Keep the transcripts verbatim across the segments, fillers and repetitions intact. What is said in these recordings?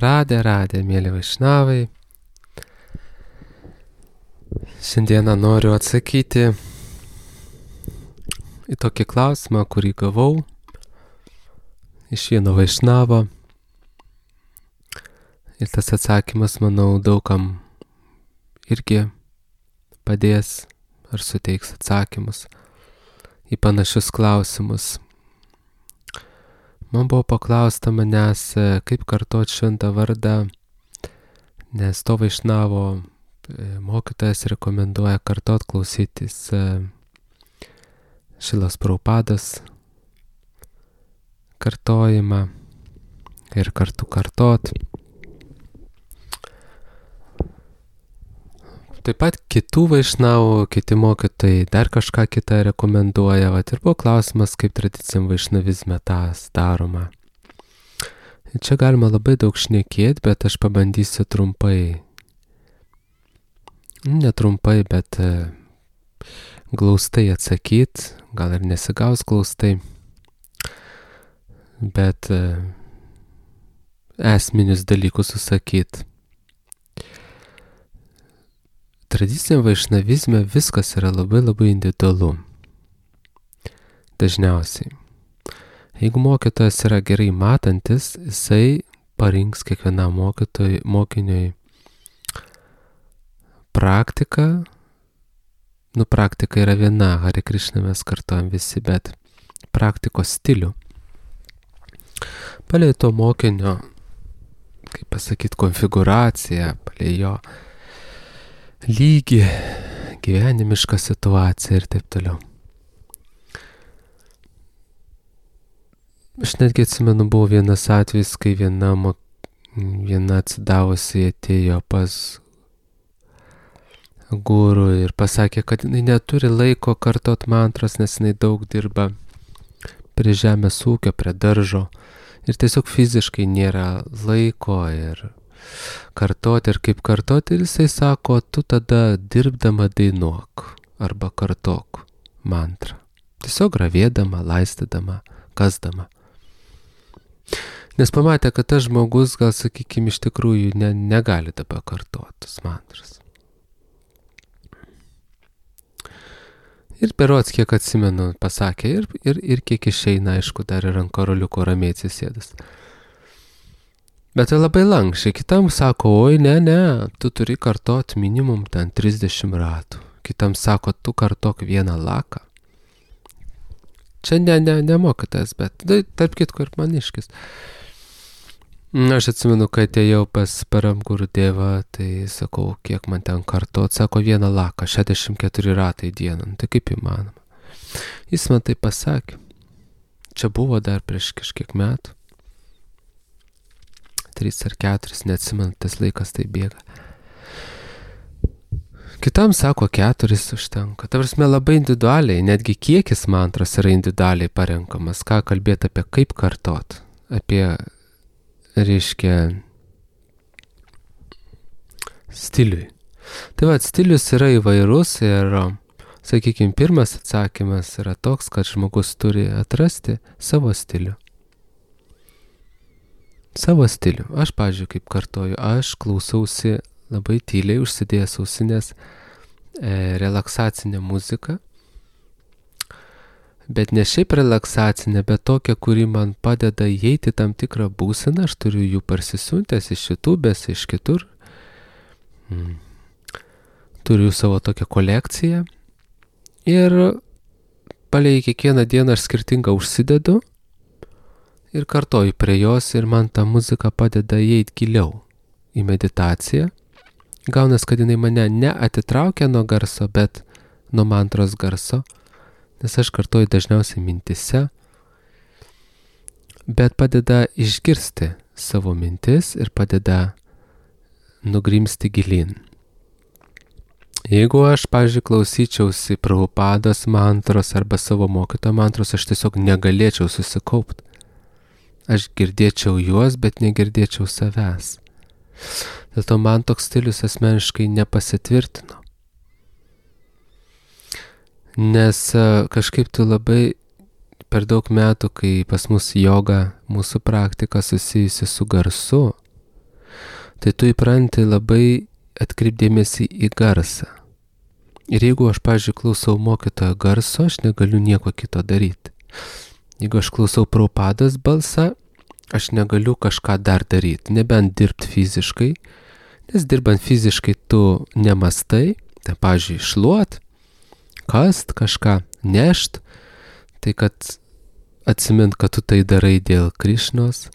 Radė, radė, mėly vaišnavai. Šiandieną noriu atsakyti į tokį klausimą, kurį gavau iš vieno vaišnavo. Ir tas atsakymas, manau, daugam irgi padės ar suteiks atsakymus į panašius klausimus. Man buvo paklausta manęs, kaip kartot šventą vardą, nes to vaišnavo mokytojas rekomenduoja kartot klausytis Šilos Prabhupados kartojimą ir kartu kartot. Taip pat kitų vaišnavų, kiti mokytojai dar kažką kitą rekomenduoja. Vat ir buvo klausimas, kaip tradiciniam vaišnavizme tas daroma. Ir čia galima labai daug šnekėti, bet aš pabandysiu trumpai. Ne trumpai, bet glaustai atsakyti. Gal ir nesigaus glaustai. Bet esminius dalykus susakyti. Tradiciniam vaišnavizme viskas yra labai labai individualu. Dažniausiai. Jeigu mokytojas yra gerai matantis, jisai parinks kiekvienam mokytojui, mokiniui praktiką. Nu, praktika yra viena, Hare Krishna mes kartojam visi, bet praktikos stilių. Palei to mokinio, kaip pasakyti, konfiguraciją, palei jo lygį, gyvenimišką situaciją ir taip toliau. Aš netgi atsimenu, buvo vienas atvejis, kai viena, viena atsidavusi atėjo pas guru ir pasakė, kad jinai neturi laiko kartot mantras, nes jinai daug dirba prie žemės ūkio, prie daržo ir tiesiog fiziškai nėra laiko ir kartoti ir kaip kartoti, ir jisai sako, tu tada dirbdama dainuok arba kartok mantrą. Tiesiog ravėdama, laistydama, kasdama. Nes pamatė, kad tas žmogus, gal sakykime, iš tikrųjų ne, negali dabar kartotis mantras. Ir berods, kiek atsimenu, pasakė ir, ir, ir kiek išeina, aišku, dar ir ant karoliuko ramiai atsisėdus. Bet tai labai lankščiai. Kitam sako, oi, ne, ne, tu turi kartot minimum ten trisdešimt ratų. Kitam sako, tu kartok vieną laką. Čia ne, ne, ne mokytas, bet tai, tarp kitko ir maniškis. Aš atsimenu, kai atėjau pas Param Gurudevą, tai sakau, kiek man ten kartot. Sako, vieną laką, šešiasdešimt keturi ratai dieną. Tai kaip įmanoma? Jis man tai pasakė. Čia buvo dar prieš kažkiek metų. Trys ar keturis, neatsimenu, tas laikas tai bėga. Kitam sako, keturis užtenka. Ta prasme, labai individualiai, netgi kiekis mantros yra individualiai parenkamas. Ką kalbėti apie kaip kartot, apie, reiškia, stiliui. Tai va, stilius yra įvairus ir, sakykime, pirmas atsakymas yra toks, kad žmogus turi atrasti savo stilių. Savo stilių. Aš, pavyzdžiui, kaip kartoju, aš klausausi labai tyliai, užsidėjęs ausinės e, relaksacinę muziką, bet ne šiaip relaksacinę, bet tokią, kuri man padeda įeiti tam tikrą būseną. Aš turiu jų parsisiuntęs iš YouTube'ės, iš kitur. Mm. Turiu savo tokią kolekciją ir palei kiekvieną dieną aš skirtingą užsidedu ir kartoju prie jos ir man ta muzika padeda įeiti giliau į meditaciją. Gaunas, kad jinai mane neatitraukia nuo garso, bet nuo mantros garso, nes aš kartoju dažniausiai mintise, bet padeda išgirsti savo mintis ir padeda nugrimsti gilin. Jeigu aš, pavyzdžiui, klausyčiausi Prabhupados mantros arba savo mokytojo mantros, aš tiesiog negalėčiau susikaupti. Aš girdėčiau juos, bet negirdėčiau savęs. Dėl to man toks stilius asmeniškai nepasitvirtino. Nes kažkaip tu labai per daug metų, kai pas mus joga, mūsų praktika susijusi su garsu, tai tu įpranti labai atkreipdėmėsi į garsą. Ir jeigu aš, pavyzdžiui, klausau mokytojo garso, aš negaliu nieko kito daryti. Jeigu aš klausau Prabhupados balsą, aš negaliu kažką dar daryti, nebent dirbti fiziškai, nes dirbant fiziškai tu nemastai, tai, pavyzdžiui, šluot, kast, kažką nešt, tai kad atsimint, kad tu tai darai dėl Krišnos,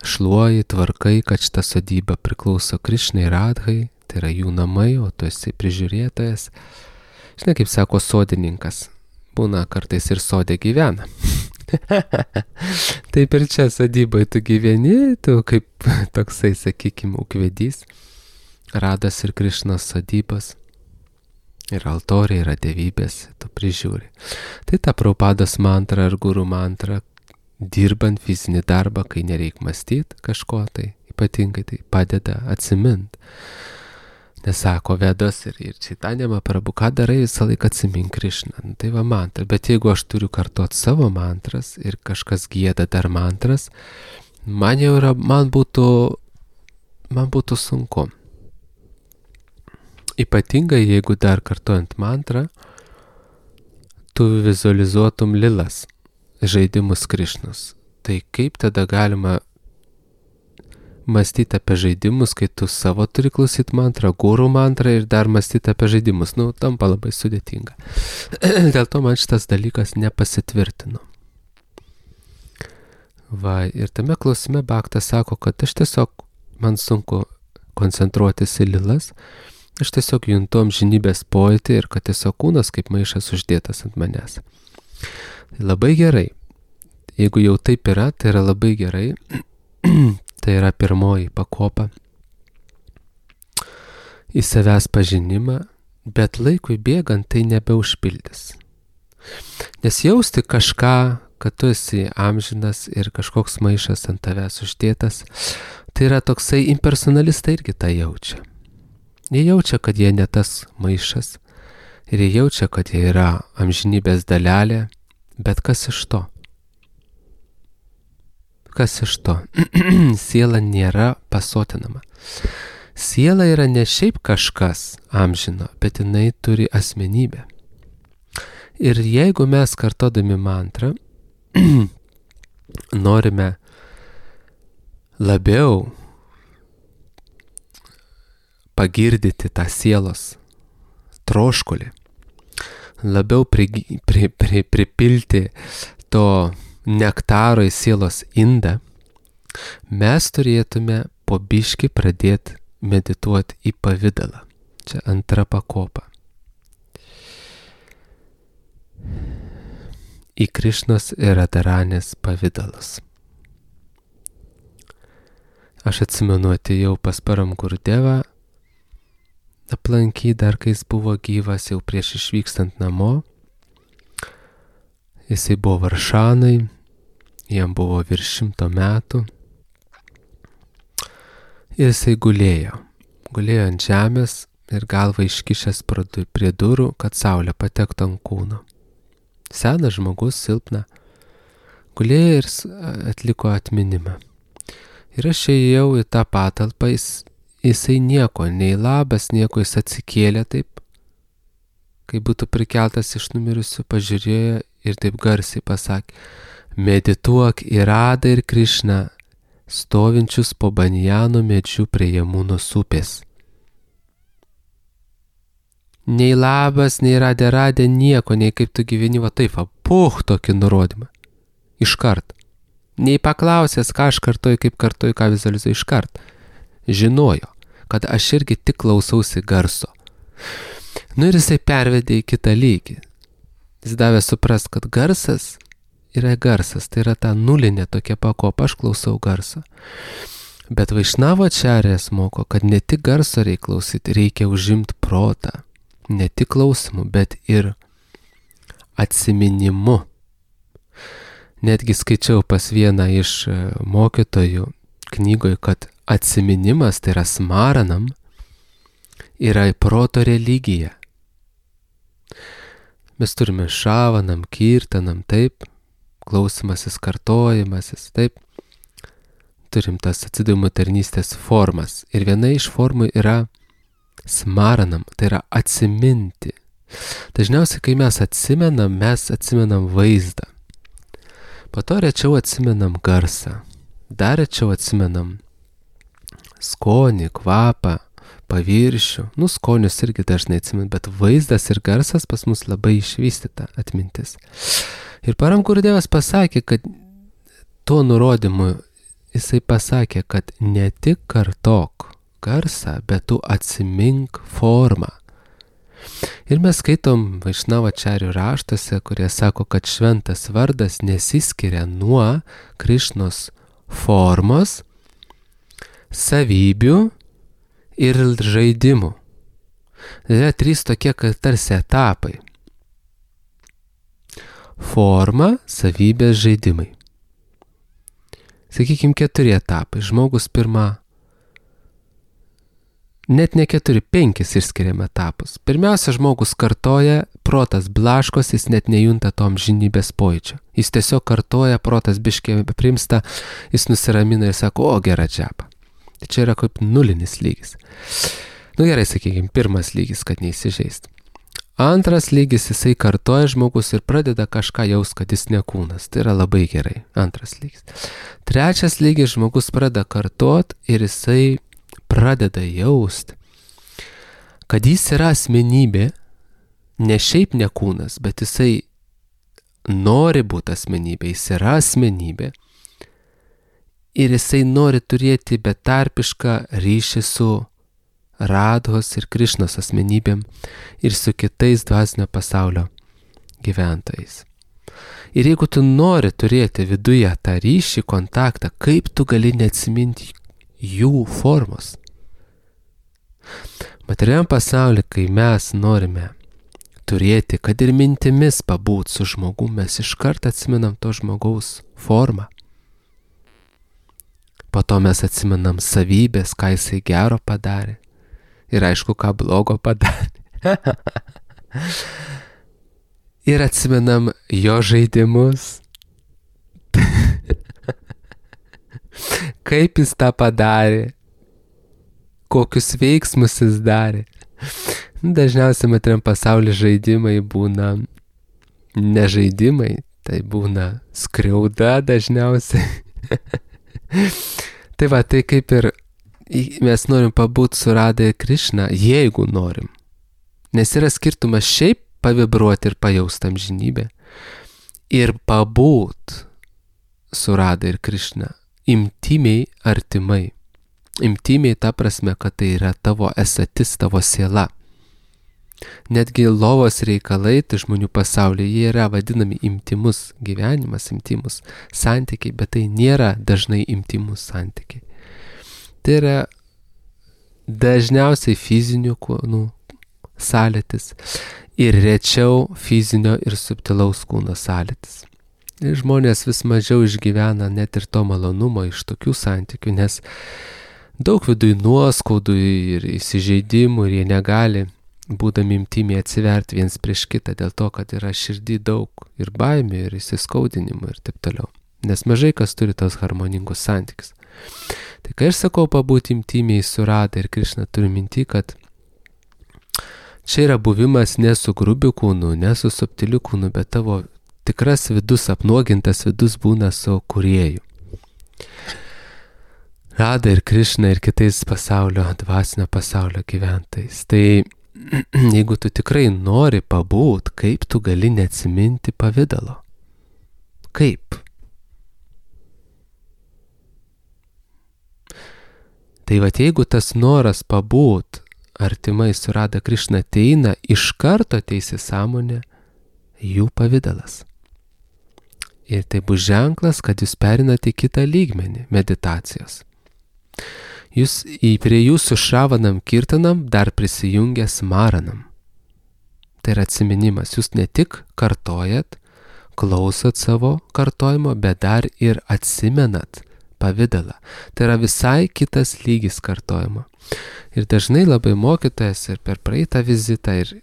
šluoji, tvarkai, kad šita sodyba priklauso Krišnai Radhai, tai yra jų namai, o tu esi prižiūrėtojas. Žinai, kaip sako sodininkas, būna kartais ir sodė gyvena. Taip ir čia sodybai tu gyveni, tu kaip toksai, sakykime, ūkvedys, Radas ir Krišnos sodybos. Ir altoriai yra dievybės, tu prižiūri. Tai ta Prabhupados mantra ar guru mantra, dirbant fizinį darbą, kai nereik mąstyti kažko, tai ypatingai tai padeda atsimint. Nes sako Vedos ir, ir Chaitanya Mahaprabhu, ką darai, visą laiką atsimink Krišną. Nu, tai va mantra. Bet jeigu aš turiu kartuoti savo mantras ir kažkas gieda dar mantras, man jau yra, man būtų, man būtų sunku. Ypatingai, jeigu dar kartuojant mantrą, tu vizualizuotum lilas, žaidimus Krišnos. Tai kaip tada galima mąstyti apie žaidimus, kai tu savo turi klausyti mantrą, guru mantrą ir dar mąstyti apie žaidimus? Nu, tampa labai sudėtinga. Dėl to man šitas dalykas nepasitvirtino. Va, ir tame klausime Bhaktas sako, kad aš tiesiog, man sunku koncentruotis į lilas, aš tiesiog juntu amžinybės pojūtį ir kad tiesiog kūnas kaip maišas uždėtas ant manęs. Tai labai gerai. Jeigu jau taip yra, tai yra labai gerai. Tai yra pirmoji pakopa į savęs pažinimą, bet laikui bėgant tai nebeužpildys. Nes jausti kažką, kad tu esi amžinas ir kažkoks maišas ant tavęs uždėtas, tai yra toksai impersonalistai irgi tą jaučia. Jie jaučia, kad jie ne tas maišas ir jie jaučia, kad jie yra amžinybės dalelė, bet kas iš to? Kas iš to? Siela nėra pasotinama. Siela yra ne šiaip kažkas amžino, bet jinai turi asmenybę. Ir jeigu mes kartodami mantrą norime labiau pagirdyti tą sielos troškulį, labiau pri, pri, pri, pripilti to nektaro į sielos indą, mes turėtume po biškį pradėti medituoti į pavidalą. Čia antra pakopa. Į Krišnos ir Radharanės pavidalus. Aš atsimenu, atėjau pas Param Gurudevą aplankyti dar, kai jis buvo gyvas, jau prieš išvykstant namo. Jisai buvo Varšanai, jam buvo virš šimto metų. Ir jisai gulėjo. Gulėjo ant žemės ir galvą iškišęs prie durų, kad saulė patektų ant kūno. Senas žmogus, silpna. Gulėjo ir atliko atminimą. Ir aš ėjau į tą patalpą, jis, jisai nieko, nei labas, nieko, jis atsikėlė taip, kai būtų prikeltas iš numirusių, pažiūrėjo ir taip garsiai pasakė: medituok į Radą ir Krišną, stovinčius po banjano medžiu prie Jamunos upės. Nei labas, nei radė radė nieko, nei kaip tu gyveni, va taip, va, puh, tokį nurodymą. Iškart. Nei paklausęs, ką aš kartoju, kaip kartoju, ką vizualizuoju, iškart. Žinojo, kad aš irgi tik klausausi garso. Nu ir jisai pervedė į kitą lygį. Jis davė suprast, kad garsas yra garsas, tai yra ta nulinė tokia pakopa, aš klausau garso. Bet Vaišnavo ačarjas moko, kad ne tik garso reikia klausyti, reikia užimti protą. Ne tik klausimu, bet ir atsiminimu. Netgi skaičiau pas vieną iš mokytojų knygoje, kad atsiminimas, tai yra smaranam, yra proto religija. Mes turime šavanam, kirtanam, taip, klausimasis, kartojimasis, taip. turim tas atsidavimo tarnystės formas. Ir viena iš formų yra smaranam, tai yra atsiminti. Dažniausiai, kai mes atsimenam, mes atsimenam vaizdą. Po to rečiau atsimenam garsą. Dar rečiau atsimenam skonį, kvapą, paviršių. Nu, skonius irgi dažnai atsimenam, bet vaizdas ir garsas pas mus labai išvystyta atmintis. Ir Param Gurudevas pasakė, kad tuo nurodymu jisai pasakė, kad ne tik kartok garsą, bet tu atsimink formą. Ir mes skaitom Vaišnavačarių raštuose, kurie sako, kad šventas vardas nesiskiria nuo Krišnos formos, savybių ir žaidimų. Tai yra trys tokie, kad tarsi etapai. Forma, savybės, žaidimai. Sakykime, keturi etapai. Žmogus pirma, net ne keturi, penkis išskiriam etapus. Pirmiausia, žmogus kartoja, protas blaškos, jis net nejunta tom žinybės pojūčio. Jis tiesiog kartoja, protas biškė primsta, jis nusiramina ir sako, o gera džiapa. Tai čia yra kaip nulinis lygis. Nu gerai, sakykime, pirmas lygis, kad neįsižeist. Antras lygis, jisai kartoja žmogus ir pradeda kažką jaus, kad jis ne kūnas. Tai yra labai gerai. Antras lygis. Trečias lygis, žmogus pradeda kartot ir jisai pradeda jaust, kad jis yra asmenybė, ne šiaip ne kūnas, bet jisai nori būti asmenybė, jis yra asmenybė ir jisai nori turėti betarpišką ryšį su Radhos ir Krišnos asmenybėm ir su kitais dvasinio pasaulio gyventojais. Ir jeigu tu nori turėti viduje tą ryšį, kontaktą, kaip tu gali neatsiminti jų formos? Materialiam pasaulyje, kai mes norime turėti, kad ir mintimis pabūt su žmogum, mes iš karto atsimenam to žmogaus formą. Po to mes atsimenam savybės, ką jisai gero padarė. Ir aišku, ką blogo padarė. Ir atsimenam jo žaidimus. Kaip jis tą padarė. Kokius veiksmus jis darė. Dažniausiai materiam pasaulyje žaidimai būna ne žaidimai, tai būna skriauda dažniausiai. Tai va, tai kaip ir mes norim pabūt su Radha ir Krišna, jeigu norim. Nes yra skirtumas šiaip pavibruoti ir pajausti amžinybę ir pabūt su Radha ir Krišna intimiai artimai. Intimiai ta prasme, kad tai yra tavo esatis, tavo siela. Netgi lovos reikalai, tai žmonių pasaulyje, jie yra vadinami intimus gyvenimas, intimus santykiai, bet tai nėra dažnai intimus santykiai. Tai yra dažniausiai fizinių kūnų sąlytis ir rečiau fizinio ir subtilaus kūno sąlytis. Ir žmonės vis mažiau išgyvena net ir to malonumo iš tokių santykių, nes daug viduj nuoskaudų ir įsižeidimų ir jie negali, būdami intimiai, atsiverti viens prieš kitą dėl to, kad yra širdį daug ir baimių, ir įsiskaudinimų ir taip toliau. Nes mažai kas turi tos harmoningus santykius. Tai kai aš sakau pabūti intimiai su Radha ir Krišna, turiu minti, kad čia yra buvimas ne su grubiu kūnu, ne su subtiliu kūnu, bet tavo tikras vidus, apnuogintas vidus būna su kūrėju. Radha ir Krišna ir kitais pasaulio, dvasinio pasaulio gyventojais. Tai jeigu tu tikrai nori pabūt, kaip tu gali neatsiminti pavidalo? Kaip? Tai vat jeigu tas noras pabūt artimai su Radha Krišna ateina, iš karto ateis į sąmonę jų pavidalas. Ir tai bus ženklas, kad jūs perinate į kitą lygmenį meditacijos. Jūs į prie jūsų šravanam kirtanam dar prisijungia smaranam. Tai yra atsiminimas. Jūs ne tik kartojat, klausot savo kartojimo, bet dar ir atsimenat pavidalą. Tai yra visai kitas lygis kartojimo. Ir dažnai labai mokytojas ir per praeitą vizitą ir,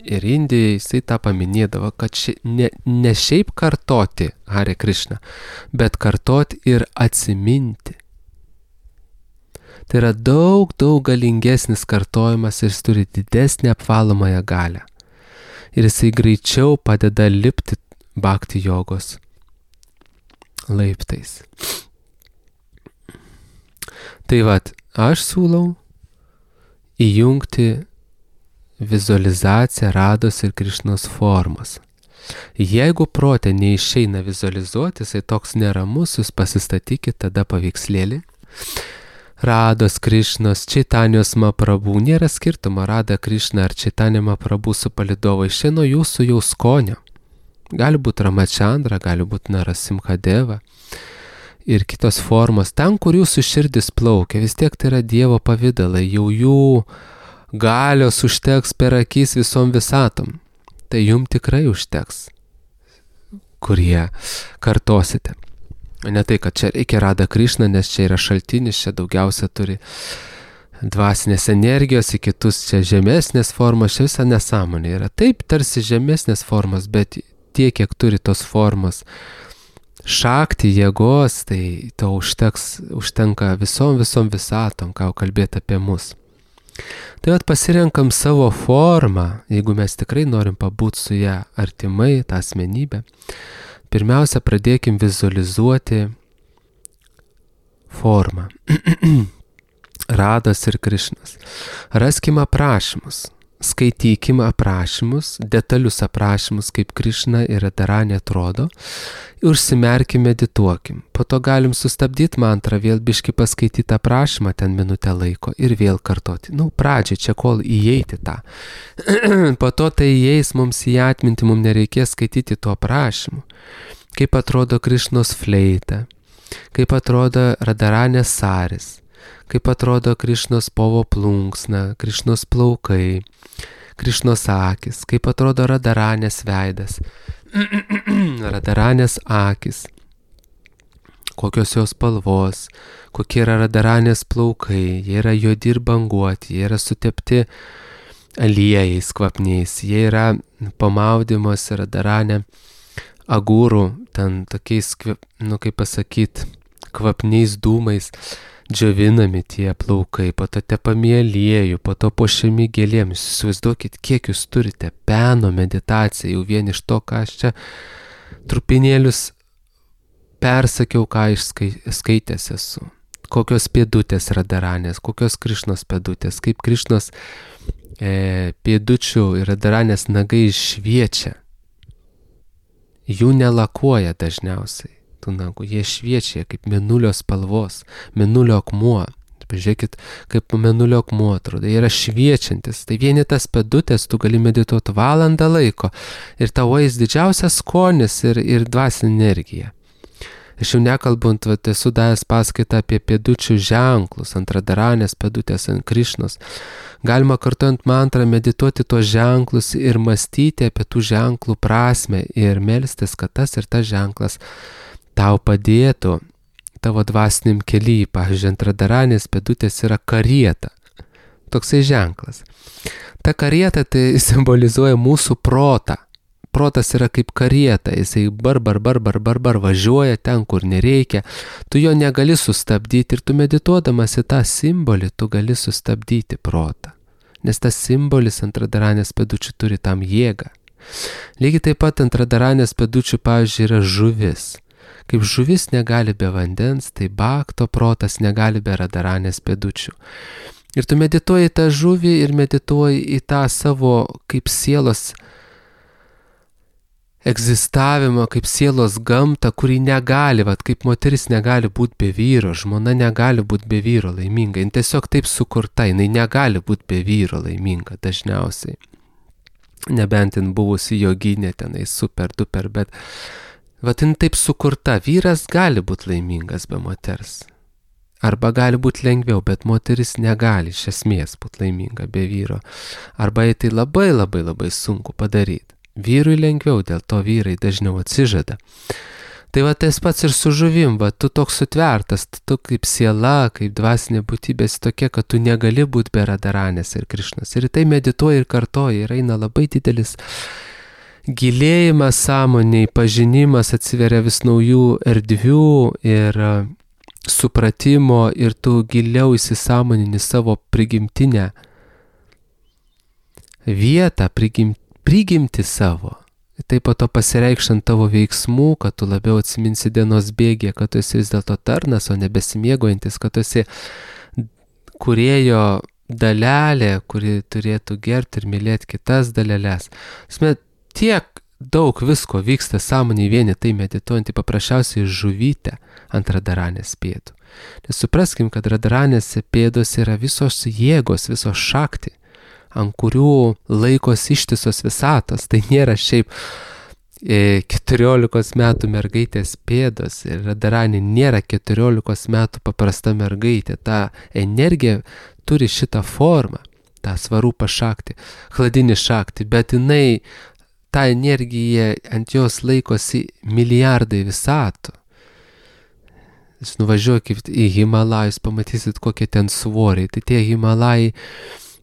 ir Indijai jisai tą paminėdavo, kad ši, ne, ne šiaip kartoti Hare Krishna, bet kartoti ir atsiminti. Tai yra daug, daug galingesnis kartojimas ir jis turi didesnį apvalomąją galią. Ir jisai greičiau padeda lipti bhakti jogos laiptais. Tai vat, aš siūlau įjungti vizualizaciją Rados ir Krišnos formos. Jeigu prote neišeina vizualizuoti, jisai toks neramus, jūs pasistatykit tada paveikslėlį. Rados, Krišnos, Čaitanijos Mahaprabhu, nėra skirtumo Rada Krišna ar Čaitanija Mahaprabhu su palidovai, čia nuo jūsų jau skonio. Gali būti Ramachandra, gali būti Narasimhadeva ir kitos formos. Ten, kur jūsų širdis plaukia, vis tiek tai yra Dievo pavidalai, jau jų galios užteks per akis visom visatom. Tai jums tikrai užteks, kurie kartosite. Ne tai, kad čia reikia Rada Krišna, nes čia yra šaltinis, čia daugiausia turi dvasinės energijos, į kitus čia žemesnės formos, čia visa nesąmonė yra. Taip, tarsi žemesnės formos, bet tiek, kiek turi tos formos šakti, jėgos, tai to užteks, užtenka visom, visom visatom, ką kalbėti apie mus. Tai vat pasirenkam savo formą, jeigu mes tikrai norim pabūti su ją artimai, tą asmenybę. Pirmiausia, pradėkim vizualizuoti formą. Rados ir Krišnos. Raskim aprašymus, skaitykim aprašymus, detalius aprašymus, kaip Krišna ir Radharani atrodo, ir užsimerkim, medituokim. Po to galim sustabdyti mantrą, vėl biški paskaityti aprašymą ten minutę laiko ir vėl kartoti. Nu, pradžiai čia kol įeiti tą. Po to tai įeis mums į atmintį, mums nereikės skaityti tuo aprašymu. Kaip atrodo Krišnos fleita, kaip atrodo Radharanės saris, kaip atrodo Krišnos povo plunksna, Krišnos plaukai, Krišnos akis, kaip atrodo Radharanės veidas, Radharanės akis, kokios jos spalvos, kokie yra Radharanės plaukai, jie yra juodi ir banguoti, jie yra sutepti aliejais kvapniais, jie yra pamaudymos Radharanė agūrų, ten tokiais, nu kaip pasakyt, kvapniais dūmais džiovinami tie plaukai, po to tepami aliejų, po to puošiami gėlėm. Jūs įsivaizduokit, kiek jūs turite peno meditaciją, jau vien iš to, ką aš čia trupinėlius persakiau, ką išskaitęs esu. Kokios pėdutės Radharanės, kokios Krišnos pėdutės, kaip Krišnos e, pėdučių ir Radharanės nagai šviečia. Jų nelakuoja dažniausiai, tų nagų, jie šviečia kaip mėnulio spalvos, mėnulio akmuo. Pažiūrėkit, kaip mėnulio akmuo atrodo, jie yra šviečiantis. Tai vieni tas pėdutės, tu gali medituoti valandą laiko ir tavo eis didžiausias skonis ir, ir dvasinė energija. Aš jau nekalbant, vat, esu davęs paskaitą apie pėdučių ženklus, ant Radharanės pėdutės, ant Krišnos. Galima kartuojant mantrą medituoti tuos ženklus ir mąstyti apie tų ženklų prasmę ir melstis, kad tas ir tas ženklas tau padėtų tavo dvasiniam kely. Pavyzdžiui, ant Radharanės pėdutės yra karieta. Toksai ženklas. Ta karieta tai simbolizuoja mūsų protą. Protas yra kaip karieta, jisai bar, bar, bar, bar, bar, bar važiuoja ten, kur nereikia. Tu jo negali sustabdyti ir tu medituodamas į tą simbolį, tu gali sustabdyti protą. Nes tas simbolis ant Radharanės pėdučių turi tam jėgą. Lygiai taip pat ant Radharanės pėdučių, pavyzdžiui, yra žuvis. Kaip žuvis negali be vandens, tai bhakto protas negali be Radharanės pėdučių. Ir tu medituoji tą žuvį ir medituoji į tą savo kaip sielos egzistavimą, kaip sielos gamtą, kuri negali, vat, kaip moteris negali būti be vyro, žmona negali būti be vyro laiminga, jin tiesiog taip sukurta, jinai negali būti be vyro laiminga dažniausiai. Nebent jin buvusi joginė tenai super duper, bet vat, jin taip sukurta, vyras gali būti laimingas be moters. Arba gali būti lengviau, bet moteris negali iš esmės būti laiminga be vyro. Arba tai labai labai labai sunku padaryti. Vyrui lengviau, dėl to vyrai dažniau atsižada. Tai va tas pats ir su žuvim, va tu toks sutvertas, tu kaip siela, kaip dvasinė būtybė tokia, kad tu negali būti be Radharanės ir Krišnos. Ir tai medituoji ir kartoji, ir eina labai didelis gilėjimas sąmoniai, pažinimas, atsiveria vis naujų erdvių ir supratimo, ir tu giliau įsisąmonini savo prigimtinę vietą, prigim, prigimti savo. Tai po to pasireikšant tavo veiksmų, kad tu labiau atsiminsi dienos bėgė, kad tu esi vis dėlto tarnas, o nebesimėgojantis, kad tu esi kūrėjo dalelė, kuri turėtų gerbti ir mylėti kitas dalelės. Smet, tiek daug visko vyksta sąmoniai vieni, tai medituojant, paprasčiausiai žuvytę ant Radharanės pėdų. Nes supraskim, kad Radharanės pėdos yra visos jėgos, visos šakti, ant kurių laikos ištisos visatos. Tai nėra šiaip e, keturiolikos metų mergaitės pėdos, ir Radharanė nėra keturiolikos metų paprasta mergaitė. Ta energija turi šitą formą, tą svarupą šakti, chladinį šakti, bet jinai, ta energija, ant jos laikosi milijardai visatų. Jūs nuvažiuokit į Himalajus, pamatysit, kokie ten svoriai. Tai tie Himalajai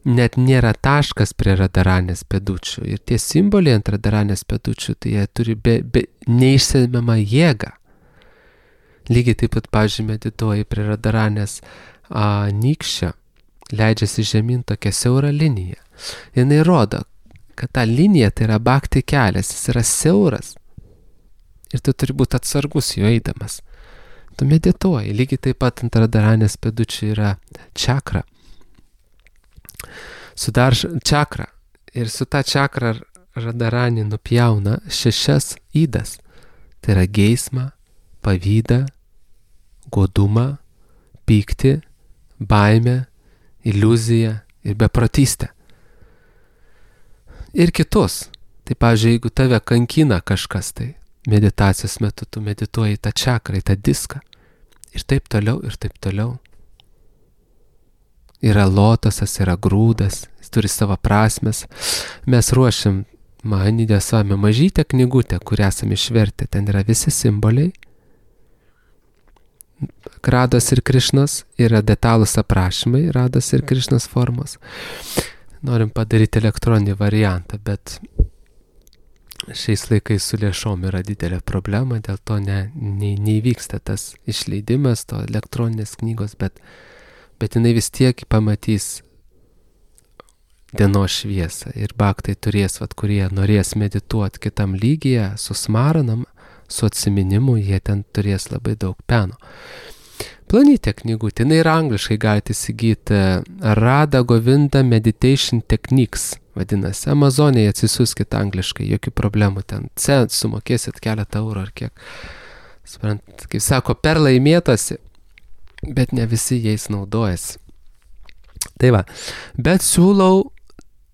net nėra taškas prie Radharanės pėdučių. Ir tie simboliai ant Radharanės pėdučių, tai jie turi be, be, neišsemiamą jėgą. Lygiai taip pat, pavyzdžiui, medituoji prie Radharanės nykščio, leidžiasi žemyn tokia siaura linija. Jinai rodo, kad ta linija tai yra bhakti kelias, jis yra siauras. Ir tu turi būti atsargus jo eidamas. Tu medituoji. Lygiai taip pat ant Radharanės pėdučių yra čakra. Sudar čakrą. Ir su ta čakra Radharanė nupjauna šešias ydas. Tai yra geismą, pavydą, godumą, pyktį, baimę, iliuziją ir beprotystę. Ir kitus. Tai, pavyzdžiui, jeigu tave kankina kažkas, tai meditacijos metu tu medituoji tą čakrą, tą diską. Ir taip toliau, ir taip toliau. Yra lotosas, yra grūdas, jis turi savo prasmes. Mes ruošiam Mahanidė Swami mažytę knygutę, kurią esame išvertę. Ten yra visi simboliai. Rados ir Krišnos, yra detalūs aprašymai Rados ir Krišnos formos. Norim padaryti elektroninį variantą, bet šiais laikais su lėšom yra didelė problema, dėl to ne, ne, neįvyksta tas išleidimas, to elektroninės knygos, bet bet jinai vis tiek pamatys dienos šviesą. Ir bhaktai turės, vat, kurie norės medituoti kitam lygyje, su smaranam, su atsiminimu, jie ten turės labai daug peno. Planytė knygutė, jinai yra angliškai, galite įsigyti Radha Govinda Meditation Techniques, vadinasi. Amazonėje atsisiųskit angliškai, jokių problemų ten. Cent sumokėsit keletą eurų ar kiek. Sprant, kaip sako, per laimėtasi, bet ne visi jais naudojasi. Tai va, bet siūlau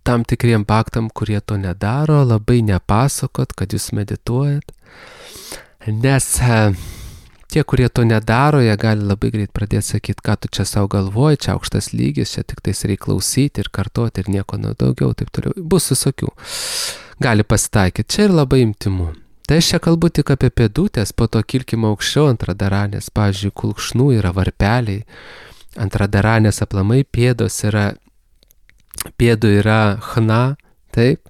tam tikriem bhaktam, kurie to nedaro, labai nepasakot, kad jūs medituojat, nes tie, kurie to nedaro, jie gali labai greit pradėti sakyti, ką tu čia savo galvoji, čia aukštas lygis, čia tik tais reikia klausyti ir kartoti ir nieko daugiau, taip toliau. Bus visokių. Gali pasitaikyti. Čia ir labai intimu. Tai aš čia kalbu tik apie pėdutės, po to kilkime aukščiau ant Radharanės, pavyzdžiui, kulkšnų yra varpeliai, ant Radharanės aplamai pėdos yra, pėdų yra chna, taip,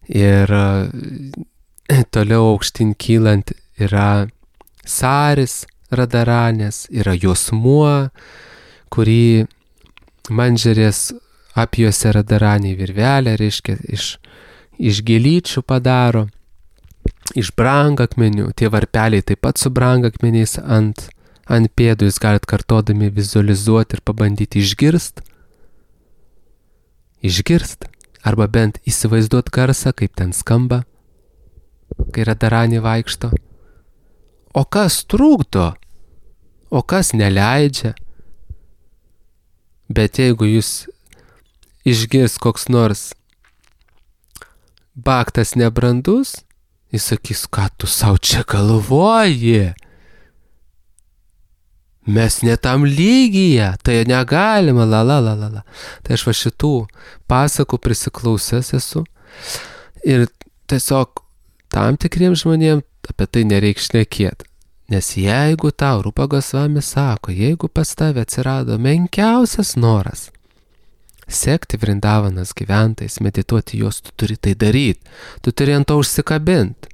ir toliau aukštin kylant yra saris Radharanės, yra juosmuo, kurį mandžerės apjuose Radharanė virvelę, reiškia, iš, iš gėlyčių padaro. Iš brangakmenių, tie varpeliai taip pat su brangakmeniais ant, ant pėdų, jūs galit kartodami vizualizuoti ir pabandyti išgirst, išgirst, arba bent įsivaizduot garsą, kaip ten skamba, kai Radharanė vaikšto. O kas trukdo? O kas neleidžia? Bet jeigu jūs išgirs koks nors bhaktas nebrandus, jis sakys, ką tu savo čia galvoji? Mes ne tam lygyje, tai negalima, la la la la la. Tai aš va šitų pasakų prisiklausęs esu ir tiesiog tam tikriems žmonėms apie tai nereikia šnekėti. Nes jeigu tau Rupa Gosvami sako, jeigu pas tave atsirado menkiausias noras sekti Vrindavanos gyventojais, medituoti juos, tu turi tai daryti, tu turi ant to užsikabinti.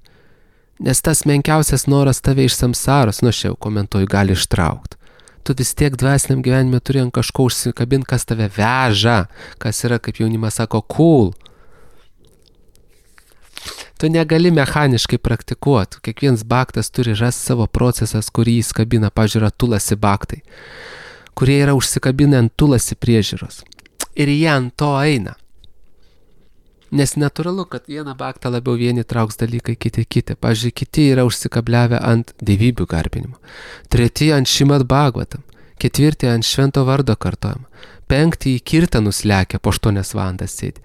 Nes tas menkiausias noras tave iš samsaros, nu aš jau komentuoju, gali ištraukti. Tu vis tiek dvasiniam gyvenime turi ant kažko užsikabinti, kas tave veža, kas yra, kaip jaunimas sako, cool. Tu negali mechaniškai praktikuoti. Kiekvienas bhaktas turi rasti savo procesas, kurį jis kabina, pažiūrė, tulasi bhaktai, kurie yra užsikabinę ant tulasi priežiūros. Ir jie ant to eina. Nes natūralu, kad vieną bhaktą labiau vieni trauks dalykai, kiti kiti. Pavyzdžiui, kiti yra užsikabliavę ant dievybių garbinimo. Treti ant Šrimad Bhagavatam. Ketvirti ant švento vardo kartojimo. Penkti į kirtanus lekia, po aštuonias valandas sėdi.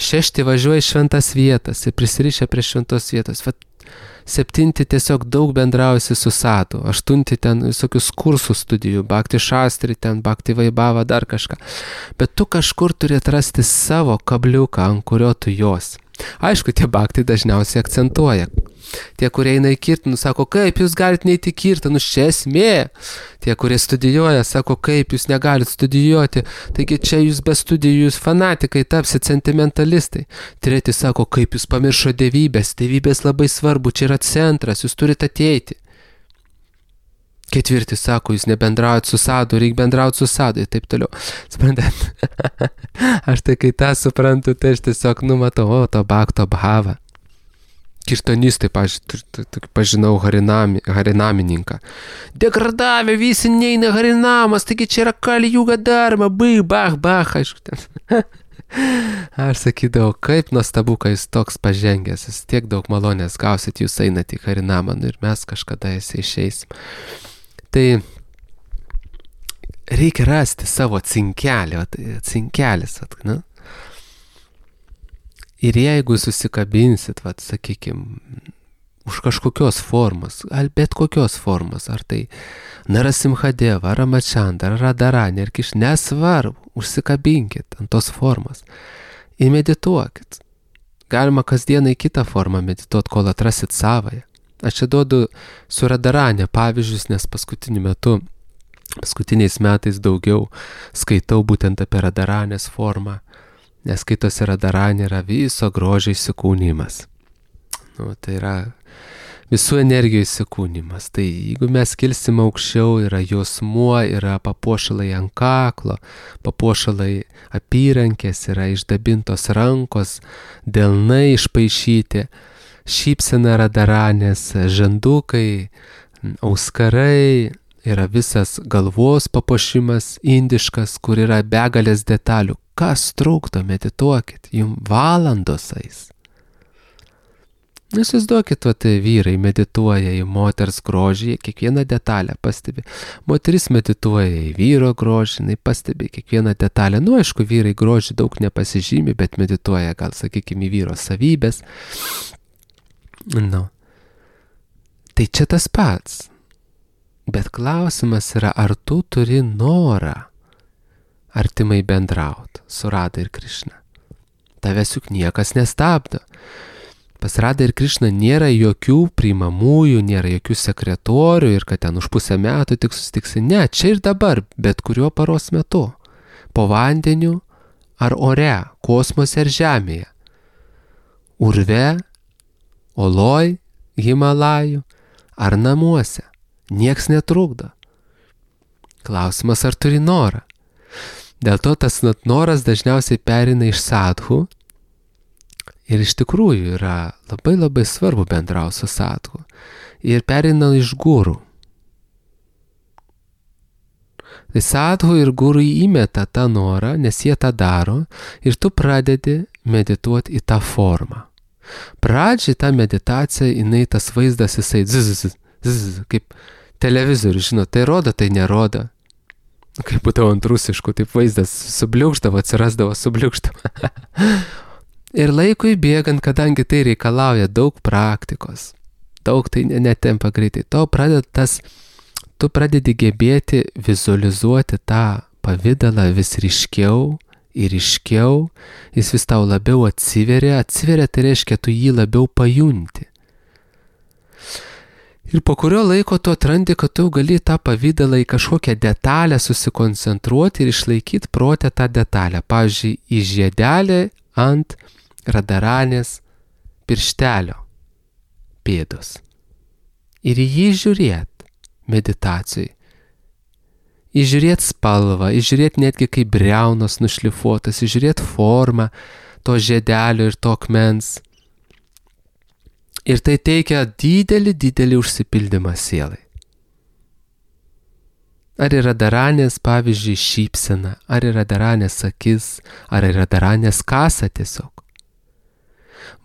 Šešti važiuoja į šventas vietas ir prisirišę prie šventos vietos. Vat, septinti tiesiog daug bendrausi su sadhu. Aštunti ten visokius kursus studijų, bhakti šastri, ten bhakti vaibhava, dar kažką. Bet tu kažkur turi atrasti savo kabliuką, ant kurio tu jos. Aišku, tie bhaktai dažniausiai akcentuoja. Tie, kurie eina į kirtanus, sako, kaip jūs galite neiti į kirtanus, čia esmė. Tie, kurie studijuoja, sako, kaip jūs negalite studijuoti, taigi čia jūs be studijų, jūs fanatikai, tapsit sentimentalistai. Treti sako, kaip jūs pamiršo dievybės, dievybės labai svarbu, čia yra centras, jūs turite ateiti. Ketvirti sako, jūs nebendraujat su sadhu, reikia bendrauti su sadhu ir taip toliau. Suprantat? Aš tai kai tą suprantu, tai aš tiesiog numatau, o, to bhakto bhavą. Kirtanistai, pažinau harinami, harinamininką. Degradavę visi neina harinamas, taigi čia yra kali juga dharma, bai, bach, bach, aišku ten. Aš sakydavau, kaip nuostabu, kai jis toks pažengęs, jis tiek daug malonės gausit, jūs einat į harinamą ir mes kažkada jisai išeisim. Tai reikia rasti savo cinkelį, cinkelis, ne? Ir jeigu susikabinsit, vat, sakykim, už kažkokios formos, ar bet kokios formos, ar tai Narasimhadeva, ar Ramachandra, ar Radharani, ar Kiš, nesvarbu, užsikabinkit ant tos formos ir medituokit. Galima kasdieną į kitą formą medituoti, kol atrasit savąją. Aš čia duodu su Radharani pavyzdžius, nes paskutiniu metu, paskutiniais metais daugiau skaitau būtent apie Radharanės formą. Nes skaitosi Radharani yra viso grožio įsikūnimas. Nu, tai yra visų energijų įsikūnimas. Tai jeigu mes kilsim aukščiau, yra jausmuo, yra papuošalai ant kaklo, papuošalai apyrankės, yra išdabintos rankos, delnai išpaišyti, šypsena Radharanės, žandukai, auskarai, yra visas galvos papuošimas indiškas, kur yra begalės detalių. Kas trukdo, medituokit, jums valandos eis. Įsivaizduokit, va, tai vyrai medituoja į moters grožį, kiekvieną detalę pastebi. Moteris medituoja į vyro grožį, jinai pastebi kiekvieną detalę. Nu, aišku, vyrai grožį daug nepasižymi, bet medituoja, gal sakykime, į vyro savybės. Nu. Tai čia tas pats. Bet klausimas yra, ar tu turi norą artimai bendraut su Radha ir Krišna. Tavęs juk niekas nestabdo. Pas Radha ir Krišna nėra jokių priimamųjų, nėra jokių sekretorių ir kad ten už pusę metų tik susitiksi. Ne, čia ir dabar, bet kuriuo paros metu. Po vandeniu ar ore, kosmose ar žemėje. Urve, oloj, Himalajų ar namuose. Nieks netrukdo. Klausimas, ar turi norą. Dėl to tas noras dažniausiai perina iš sadhu ir iš tikrųjų yra labai labai svarbu bendrauti su sadhu ir perina iš gurų. Tai sadhu ir gurų įmeta tą norą, nes jie tą daro ir tu pradedi medituoti į tą formą. Pradžiai tą meditaciją, jinai tas vaizdas, jisai zzz, zzz, kaip televizorius, žinot, tai rodo, tai nerodo. Kaip būdavo ant rusiškų, taip vaizdas subliūkštavo, atsirasdavo subliūkštavo. Ir laikui bėgant, kadangi tai reikalauja daug praktikos, daug tai netempa greitai, to pradeda tas, tu pradedi gebėti vizualizuoti tą pavidalą vis ryškiau ir iškiau, jis vis tau labiau atsiveria, atsiveria tai reiškia, tu jį labiau pajunti. Ir po kurio laiko tu atrandi, kad tu gali tą pavydalą į kažkokią detalę susikoncentruoti ir išlaikyti protę tą detalę. Pavyzdžiui, į žiedelį ant radaranės pirštelio pėdos. Ir į jį žiūrėt meditacijai. Įžiūrėt spalvą, įžiūrėt netgi kaip briaunos nušlifuotas, įžiūrėt formą to žiedelio ir to akmens. Ir tai teikia didelį, didelį užsipildymą sielai. Ar yra daranės, pavyzdžiui, šypsena, ar yra daranės akis, ar yra daranės kasa tiesiog.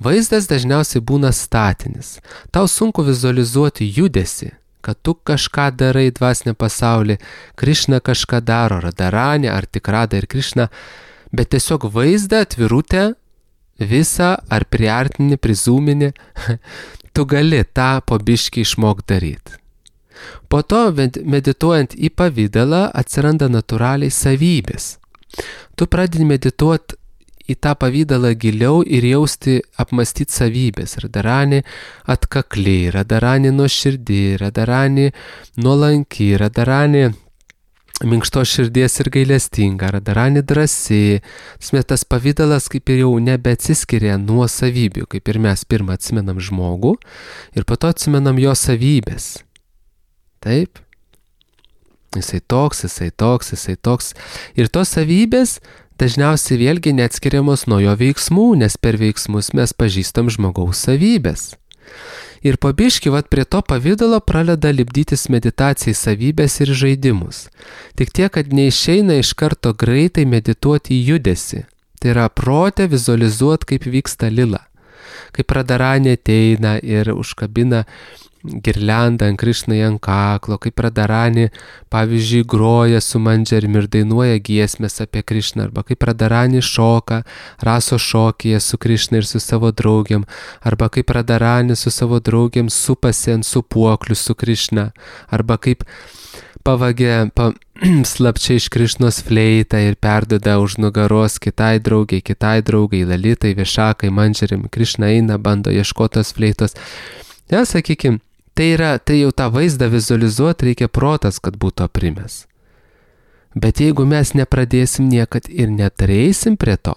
Vaizdas dažniausiai būna statinis. Tau sunku vizualizuoti judesi, kad tu kažką darai dvasinę pasaulį, Krišna kažką daro, Radaranė, ar tik Rada ir Krišna, bet tiesiog vaizdą, atvirutę, visą ar priartinį, prizūminį, tu gali tą po biškį išmok daryti. Po to, medituojant į pavydalą, atsiranda natūraliai savybės. Tu pradedi medituoti į tą pavydalą giliau ir jausti, apmastyti savybės. Radaranė atkakli, Radaranė nuoširdi, Radaranė nuolanki, Radaranė minkštos širdies ir gailestinga, Radaranė drąsi. Tas pavydalas kaip ir jau nebeatsiskiria nuo savybių, kaip ir mes pirmą atsimenam žmogų ir po to atsimenam jo savybės. Taip? Jisai toks, jisai toks, jisai toks. Ir tos savybės dažniausiai vėlgi neatskiriamos nuo jo veiksmų, nes per veiksmus mes pažįstam žmogaus savybės. Ir po biškį vat prie to pavydalo pradeda lipdytis meditacijai savybės ir žaidimus. Tik tiek, kad neišeina iš karto greitai medituoti į judesį. Tai yra protę vizualizuoti, kaip vyksta lila. Kaip Radaranė ateina ir užkabina girliandą ant Krišnai ant kaklo, kaip Radaranė, pavyzdžiui, groja su mandžerim ir dainuoja giesmės apie Krišną, arba kaip Radaranė šoka raso šokyje su Krišna ir su savo draugiam, arba kaip Radaranė su savo draugiam supasi ant supuoklių su Krišna, arba kaip pavagė pa, slapčia iš Krišnos fleitą ir perduoda už nugaros kitai draugiai, kitai draugai, Lalitai, Višakai, mandžerim, Krišna eina, bando ieškotos fleitos. Ja, sakykim, tai yra, tai jau tą vaizdą vizualizuoti reikia protas, kad būtų aprimęs. Bet jeigu mes nepradėsim niekad ir neturėsim prie to.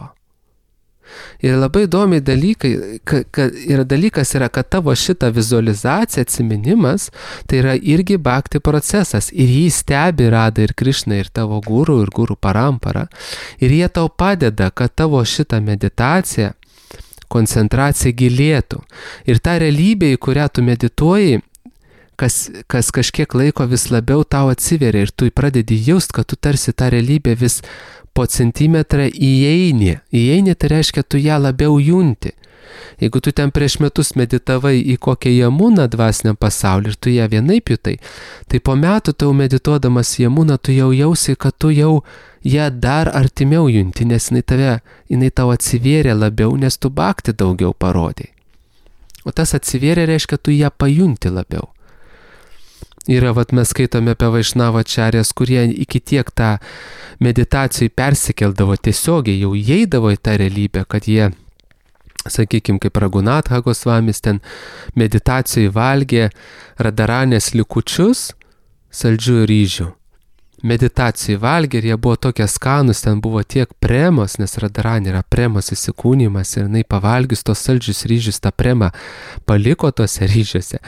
Ir labai įdomiai dalykai, ka, ka, yra dalykas yra, kad tavo šitą vizualizaciją, atsiminimas, tai yra irgi bhakti procesas. Ir jį stebi Rada ir Krišna ir tavo guru ir guru parampara. Ir jie tau padeda, kad tavo šitą meditaciją, koncentracija gilėtų. Ir ta realybė, į kurią tu medituoji, kas, kas kažkiek laiko vis labiau tau atsiveria ir tu pradedi jaust, kad tu tarsi tą realybę vis po centimetrą įeini. Įeini tai reiškia, tu ją labiau junti. Jeigu tu ten prieš metus meditavai į kokią Jamuną dvasiniam pasaulį ir tu ją vienaip jutai, tai po metų tau medituodamas Jamuną tu jau jausi, kad tu jau ją dar artimiau junti, nes jinai, tave, jinai tau atsivėrė labiau, nes tu bhakti daugiau parodai. O tas atsivėrė reiškia, tu ją pajunti labiau. Yra, vat mes skaitome apie Vaišnavo ačarjas, kurie iki tiek tą meditacijai persikeldavo tiesiogiai, jau įeidavo į tą realybę, kad jie, sakykime, kaip Raghunatha Gosvamis, ten meditacijai valgė Radaranės likučius, saldžių ryžių. Meditacijai valgė ir jie buvo tokie skanus, ten buvo tiek premos, nes Radaranė yra premos įsikūnymas ir jinai pavalgius tos saldžius ryžius, tą premą paliko tose ryžiuose.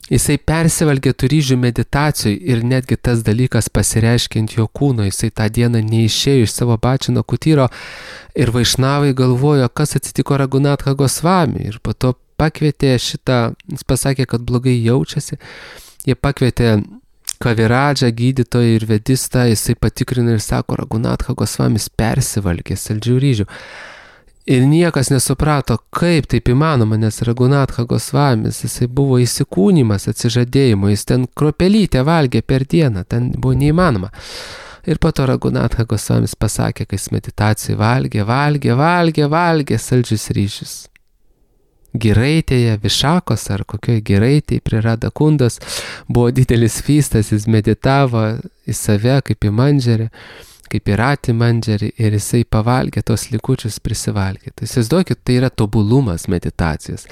Jisai persivalgė tų ryžių meditacijų ir netgi tas dalykas pasireiškia ant jo kūno, jisai tą dieną neišėjo iš savo bačino kutyro ir Vaišnavai galvojo, kas atsitiko Raghunatha Gosvami ir po to pakvietė šitą, jis pasakė, kad blogai jaučiasi, jie pakvietė Kaviradžą, gydytoją ir vedistą, jisai patikrino ir sako, Raghunatha Gosvamis persivalgė saldžių ryžių. Ir niekas nesuprato, kaip taip įmanoma, nes Raghunatha Gosvamis, jisai buvo įsikūnymas atsižadėjimo, jis ten kropelytę valgė per dieną, ten buvo neįmanoma. Ir po to Raghunatha Gosvamis pasakė, kai jis meditacijai valgė, valgė, valgė, valgė saldžius ryžius. Giraitėje, Višakos ar kokioje giraitėje prie Radakundos buvo didelis feastas, jis meditavo į save kaip į mandžerį. kaip piratį mandžerį ir jisai pavalgė tos likučius prisivalgė. Tai įsivaizduokit, tai yra tobulumas meditacijos.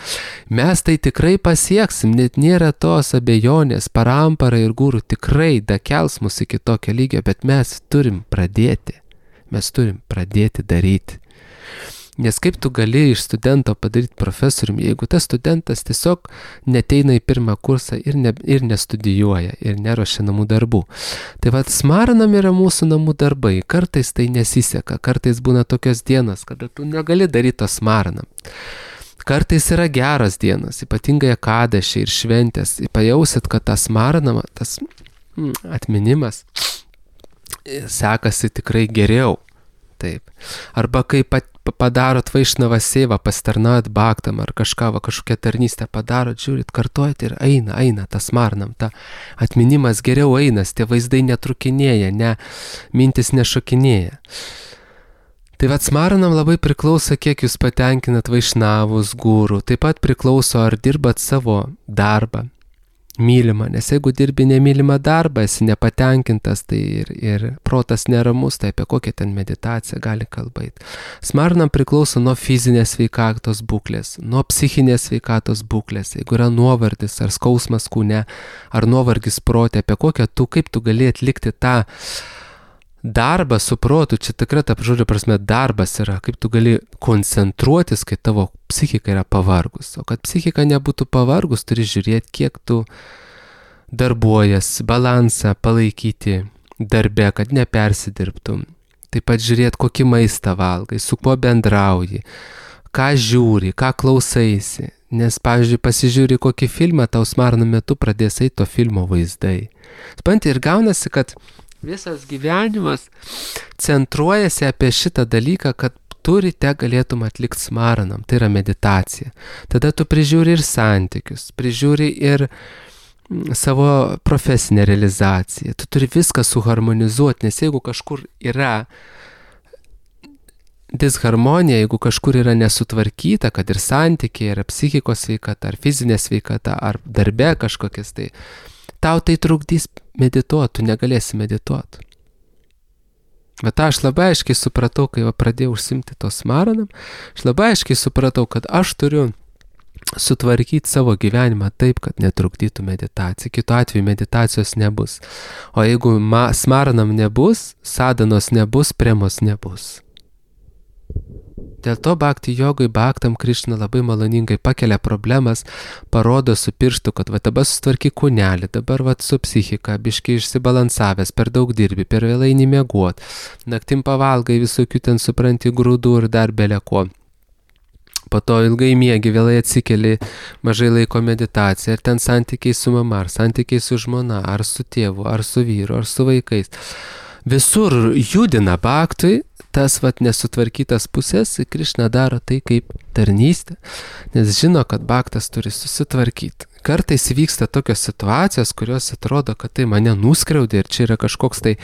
Mes tai tikrai pasieksim, net nėra tos abejonės, parampara ir guru tikrai dakels mus iki tokio lygio, bet mes turim pradėti. Mes turim pradėti daryti. Nes kaip tu gali iš studento padaryti profesoriumi, jeigu tas studentas tiesiog neteina į pirmą kursą ir, ne, ir nestudijuoja, ir neruošia namų darbų. Tai vat smaranam yra mūsų namų darbai. Kartais tai nesiseka, kartais būna tokios dienos, kada tu negali daryti to smaranam. Kartais yra geros dienos, ypatingai akadašiai ir šventės. Pajausit, kad tas smaranama, tas mm, atminimas sekasi tikrai geriau. Taip. Arba kai pat, padarot vaišnavą seivą, pastarnaujat bhaktam ar kažką, va, kažkokią tarnystę padarot, žiūrit, kartuojat ir eina, eina, tas marnam, ta atminimas geriau einas, tie vaizdai netrukinėja, ne, mintis nešokinėja. Tai vat smaranam labai priklauso, kiek jūs patenkinat vaišnavus, gurų, taip pat priklauso, ar dirbat savo darbą, mylimą, nes jeigu dirbi nemylimą darbą, esi nepatenkintas, tai ir, ir protas neramus, tai apie kokią ten meditaciją gali kalbėti. Smaranam priklauso nuo fizinės sveikatos būklės, nuo psichinės sveikatos būklės, jeigu yra nuovargis ar skausmas kūne, ar nuovargis prote, apie kokią tu, kaip tu gali atlikti tą darbą su protu, čia tikrai ta žodžio prasme darbas yra, kaip tu gali koncentruotis, kai tavo psichika yra pavargus. O kad psichika nebūtų pavargus, turi žiūrėti, kiek tu darbuojas, balansą palaikyti darbe, kad nepersidirbtum. Taip pat žiūrėti, kokį maistą valgai, su kuo bendrauji, ką žiūri, ką klausaisi. Nes, pavyzdžiui, pasižiūri kokį filmą, tau smarno metu pradės eiti to filmo vaizdai. Supranti, ir gaunasi, kad visas gyvenimas centruojasi apie šitą dalyką, kad tu ryte galėtum atlikti smaranam, tai yra meditacija. Tada tu prižiūri ir santykius, prižiūri ir savo profesinę realizaciją. Tu turi viską suharmonizuoti, nes jeigu kažkur yra disharmonija, jeigu kažkur yra nesutvarkyta, kad ir santykiai, ar psichikos sveikata, ar fizinė sveikata, ar darbe kažkokias, tai tau tai trukdys medituoti, tu negalėsi medituoti. Bet aš labai aiškiai supratau, kai pradėjau užsimti to smaranam, aš labai aiškiai supratau, kad aš turiu sutvarkyti savo gyvenimą taip, kad netrukdytų meditacija. Kitu atveju meditacijos nebus. O jeigu ma, smaranam nebus, sadanos nebus, premos nebus. Dėl to bhakti jogai bhaktam Krišna labai maloningai pakelia problemas, parodo su pirštu, kad va dabar sutvarky kūnelį, dabar va su psichika, biškiai išsibalansavęs, per daug dirbi, per vėlai nemiegot, naktim pavalgai visokių ten supranti grūdų ir dar beleko. Po to ilgai miegi, vėlai atsikeli, mažai laiko meditacija, ar ten santykiai su mama, ar santykiai su žmona, ar su tėvu, ar su vyru, ar su vaikais. Visur judina bhaktui tas vat nesutvarkytas pusės, Krišna daro tai kaip tarnystė, nes žino, kad bhaktas turi susitvarkyti. Kartais vyksta tokios situacijos, kurios atrodo, kad tai mane nuskriaudė ir čia yra kažkoks tai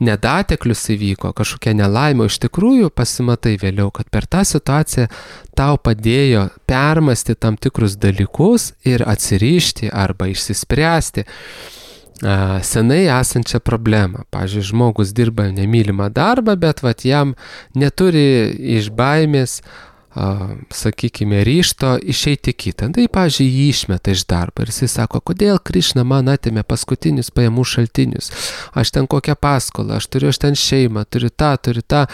nedateklius įvyko, kažkokia nelaimė. Iš tikrųjų pasimatai vėliau, kad per tą situaciją tau padėjo permasti tam tikrus dalykus ir atsirišti arba išsispręsti senai esančią problemą. Pavyzdžiui, žmogus dirba nemylimą darbą, bet vat jam neturi iš baimės, a, sakykime, ryšto išeiti kitą. Tai, pavyzdžiui, jį išmeta iš darbo ir jisai sako, kodėl Krišna man atėmė paskutinius pajamų šaltinius. Aš ten kokią paskolą, aš turiu aš ten šeimą, turiu tą, turiu tą.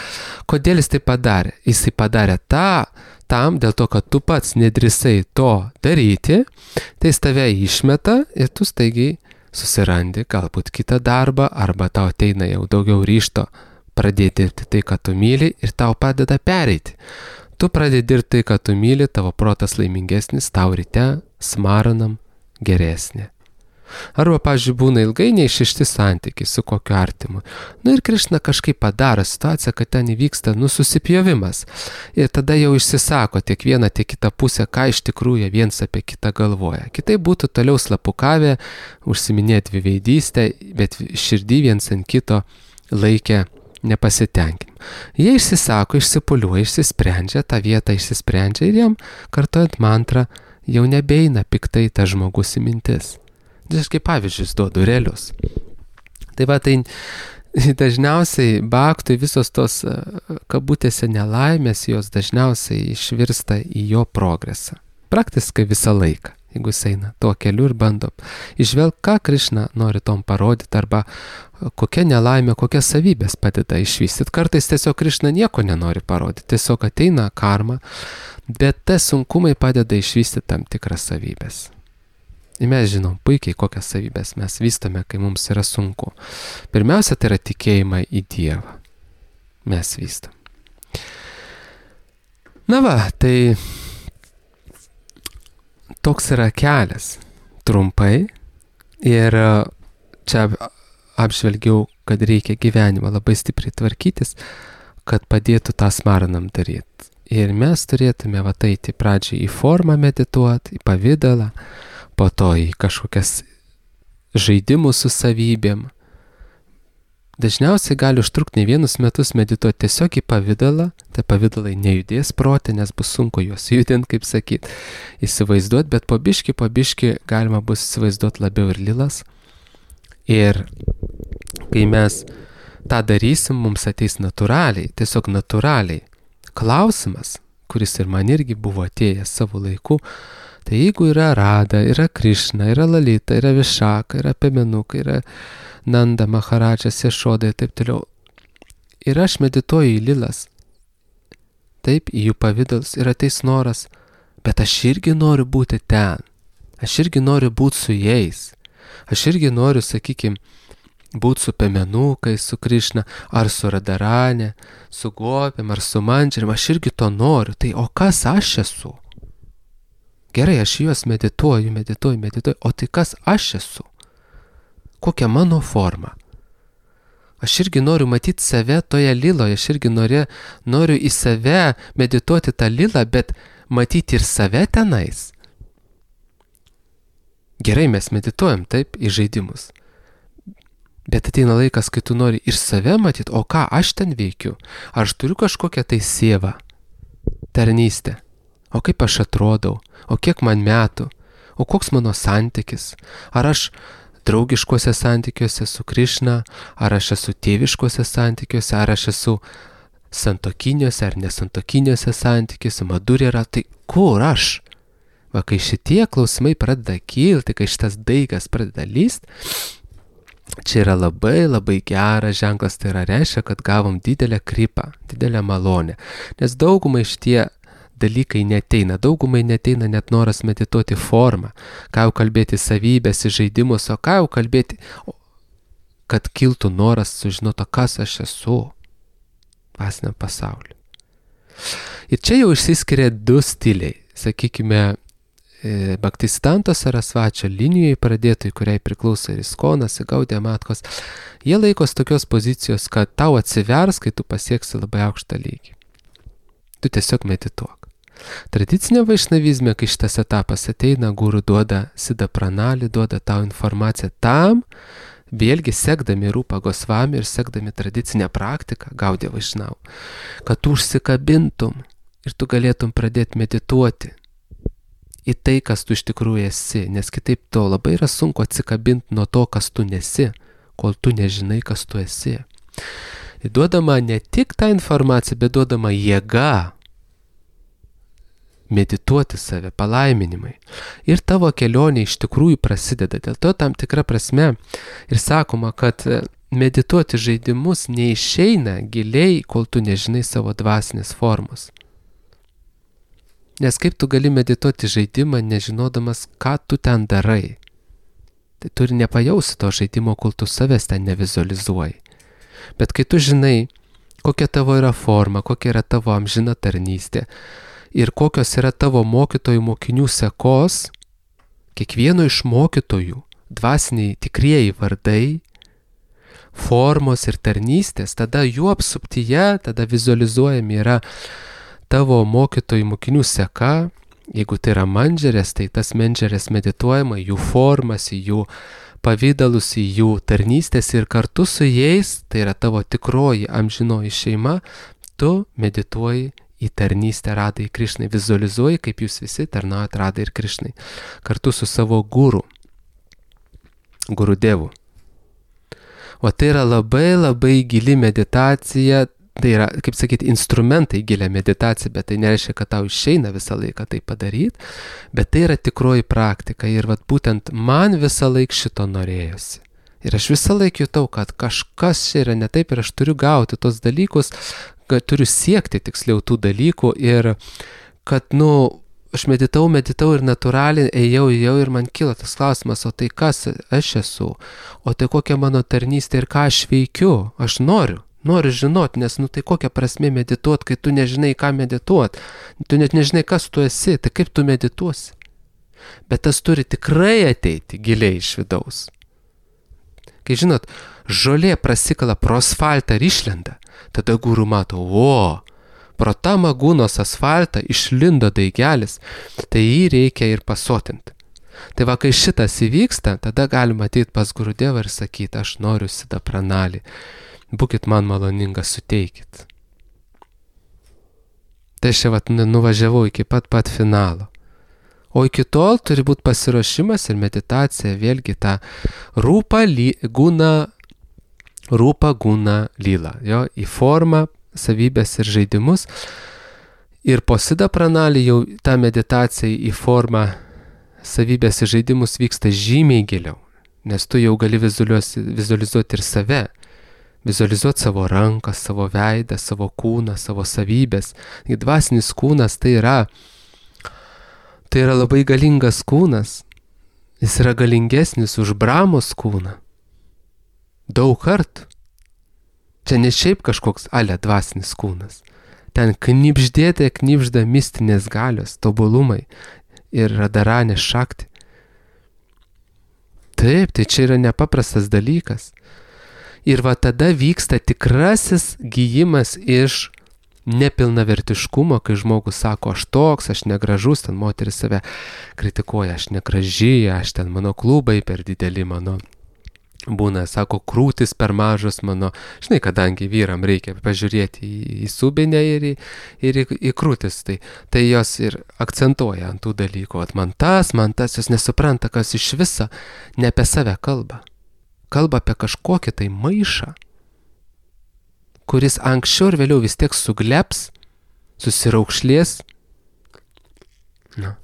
Kodėl jis tai padarė? Jisai padarė tą, tam, dėl to, kad tu pats nedrįsai to daryti, tai jis tave išmeta ir tu staigiai susirandi galbūt kitą darbą, arba tau ateina jau daugiau ryšto pradėti dirbti tai, ką tu myli, ir tau padeda pereiti. Tu pradedi dirbti tai, ką tu myli, tavo protas laimingesnis, tau ryte smaranam geresnė. Arba, pavyzdžiui, būna ilgai neišrišti santykiai su kokiu artimu. Nu ir Krišna kažkaip padaro situaciją, kad ten įvyksta nususipjovimas. Ir tada jau išsisako tiek viena, tiek kita pusė, ką iš tikrųjų viens apie kitą galvoja. Kitai būtų toliau slapukavę, užsiminėti dviveidystę, bet širdį viens ant kito laikė nepasitenkinimą. Jie išsisako, išsipuliuoja, išsisprendžia, tą vietą išsisprendžia ir jam, kartojant mantrą, jau nebeina piktai tas žmogus į mintis. Aš kaip pavyzdžius duodu realius. Tai va, tai dažniausiai baktui visos tos kabutėse nelaimės, jos dažniausiai išvirsta į jo progresą. Praktiškai visą laiką, jeigu jis eina tuo keliu ir bando išvelgti, ką Krišna nori tom parodyti, arba kokia nelaimė, kokias savybės padeda išvystyti. Kartais tiesiog Krišna nieko nenori parodyti, tiesiog ateina karma, bet tie sunkumai padeda išvystyti tam tikras savybės. Ir mes žinom puikiai, kokias savybės mes vystome, kai mums yra sunku. Pirmiausia, tai yra tikėjimą į Dievą. Mes vystam. Na va, tai toks yra kelias. Trumpai. Ir čia apžvelgiau, kad reikia gyvenimą labai stipriai tvarkytis, kad padėtų tą smaranam daryti. Ir mes turėtume va eiti pradžiai į formą medituoti, į pavidalą, po to į kažkokias žaidimus su savybėm. Dažniausiai gali užtrukti ne vienus metus medituoti tiesiog į pavidalą, tai pavidalai nejudės protė, nes bus sunku juos judinti, kaip sakyt, įsivaizduoti, bet po biškį, po biškį galima bus įsivaizduoti labiau ir lilas. Ir kai mes tą darysim, mums ateis natūraliai, tiesiog natūraliai klausimas, kuris ir man irgi buvo atėjęs savo laiku. Tai jeigu yra Rada, yra Krišna, yra Lalita, yra Višaka, yra Pemenuka, yra Nanda, Maharadžas, Ješoda ir taip toliau. Ir aš medituoju į lilas, taip, į jų pavidalus ir ateis noras, bet aš irgi noriu būti ten. Aš irgi noriu būti su jais. Aš irgi noriu, sakykime, būti su Pemenukai, su Krišna, ar su Radarane, su Gopėm, ar su Mandžerim. Aš irgi to noriu. Tai o kas aš esu? Gerai, aš juos medituoju, medituoju, medituoju, o tai kas aš esu? Kokia mano forma? Aš irgi noriu matyti save toje liloje, aš irgi noriu, noriu į save medituoti tą lilą, bet matyti ir save tenais. Gerai, mes medituojam taip į žaidimus. Bet ateina laikas, kai tu nori ir save matyti, o ką aš ten veikiu? Ar aš turiu kažkokią tai sievą, tarnystę? O kaip aš atrodau, o kiek man metų, o koks mano santykis, ar aš draugiškuose santykiuose su Krišna, ar aš esu tėviškuose santykiuose, ar aš esu santokiniuose ar nesantokiniuose santykiuose, madurė yra, tai kur aš? Va, kai šitie klausimai pradeda kilti, kai šitas daigas pradeda lyst, čia yra labai labai geras ženklas, tai yra reiškia, kad gavom didelę kripą, didelę malonę, nes daugumai šitie dalykai neteina. Daugumai neteina net noras medituoti formą, ką jau kalbėti savybės, žaidimus, o ką jau kalbėti, kad kiltų noras sužinoti, kas aš esu dvasiniam pasauliu. Ir čia jau išsiskiria du stiliai, sakykime, Bhaktisiddhanta Sarasvačio linijoje pradėtojai, kuriai priklauso ir Iskonas, ir Gaudija Matkos, jie laikos tokios pozicijos, kad tau atsivers, kai tu pasieksi labai aukštą lygį. Tu tiesiog medituok. Tradicinė vaišnavizme, kai šitas etapas ateina, guru duoda Siddha Pranali, duoda tau informaciją tam, vėlgi sekdami Rūpa Gosvami ir sekdami tradicinę praktiką, Gaudija Vaišnavų, kad tu užsikabintum ir tu galėtum pradėti medituoti į tai, kas tu iš tikrųjų esi, nes kitaip to labai yra sunku atsikabinti nuo to, kas tu nesi, kol tu nežinai, kas tu esi. Ir duodama ne tik tą informaciją, bet duodama jėga medituoti save, palaiminimai. Ir tavo kelionė iš tikrųjų prasideda. Dėl to tam tikra prasme ir sakoma, kad medituoti žaidimus neišeina giliai, kol tu nežinai savo dvasinės formos. Nes kaip tu gali medituoti žaidimą, nežinodamas, ką tu ten darai. Tai tu ir nepajausi to žaidimo, kol tu savęs ten nevizualizuoji. Bet kai tu žinai, kokia tavo yra forma, kokia yra tavo amžina tarnystė ir kokios yra tavo mokytojų mokinių sekos, kiekvieno iš mokytojų dvasiniai tikrieji vardai, formos ir tarnystės, tada jų apsuptyje, tada vizualizuojami yra tavo mokytojų mokinių seka. Jeigu tai yra mandžerės, tai tas mandžerės medituojama, jų formas, jų pavydalus, į jų tarnystės ir kartu su jais, tai yra tavo tikroji amžinoji šeima, tu medituoji į tarnystę Radai Krišnai, vizualizuoji, kaip jūs visi tarnaujat Radai ir Krišnai, kartu su savo guru, guru devu. O tai yra labai labai gili meditacija. Tai yra, kaip sakyti, instrumentai gilia meditacija, bet tai nereiškia, kad tau išeina visą laiką tai padaryti, bet tai yra tikroji praktika ir vat būtent man visą laiką šito norėjosi. Ir aš visą laiką jutau, kad kažkas čia yra ne taip ir aš turiu gauti tos dalykus, kad turiu siekti tiksliau tų dalykų ir kad, nu, aš meditau, meditau ir natūraliai ėjau, ėjau ir man kilo tas klausimas, o tai kas aš esu, o tai kokia mano tarnystė ir ką aš veikiu, aš noriu. Noriu žinoti, nes, nu tai kokia prasmė medituoti, kai tu nežinai, ką medituoti. Tu net nežinai, kas tu esi, tai kaip tu medituosi. Bet tas turi tikrai ateiti giliai iš vidaus. Kai žinot, žolė prasikala pro asfaltą ir išlenda, tada guru mato, o, pro tą magūnos asfaltą išlindo daigelis, tai jį reikia ir pasotinti. Tai va, kai šitas įvyksta, tada galima ateiti pas Gurudevą ir sakyti, aš noriu Siddha Pranali. Būkit man maloningas, suteikit. Tai aš čia vat nuvažiavau iki pat pat finalo. O iki tol turi būti pasiruošimas ir meditacija, vėlgi ta rūpa guna, rūpa guna lyla, jo, į formą, savybės ir žaidimus. Ir po Siddha Pranali jau ta meditacija į formą, savybės ir žaidimus vyksta žymiai giliau, nes tu jau gali vizualizuoti ir save. Vizualizuoti savo ranką, savo veidą, savo kūną, savo savybės. Dvasinis kūnas tai yra, tai yra labai galingas kūnas. Jis yra galingesnis už Brahmos kūną. Daug kartų. Čia ne šiaip kažkoks ale dvasinis kūnas. Ten knibždėte, knibžda mistinės galios, tobulumai ir radaranė šakti. Taip, tai čia yra nepaprastas dalykas. Ir va tada vyksta tikrasis gijimas iš nepilnavertiškumo, kai žmogus sako, aš toks, aš negražus, ten moteris save kritikuoja, aš negraži, aš ten mano klubai per dideli, mano būna, sako, krūtis per mažos mano, žinai, kadangi vyram reikia pažiūrėti į, į subinę ir, į, ir į, į krūtis, tai, tai jos ir akcentuoja ant tų dalykų, at man tas, man tas, jos nesupranta, kas iš viso ne apie save kalba. Kalba apie kažkokį tai maišą, kuris anksčiau ir vėliau vis tiek sugleps, susiraukšlės, na,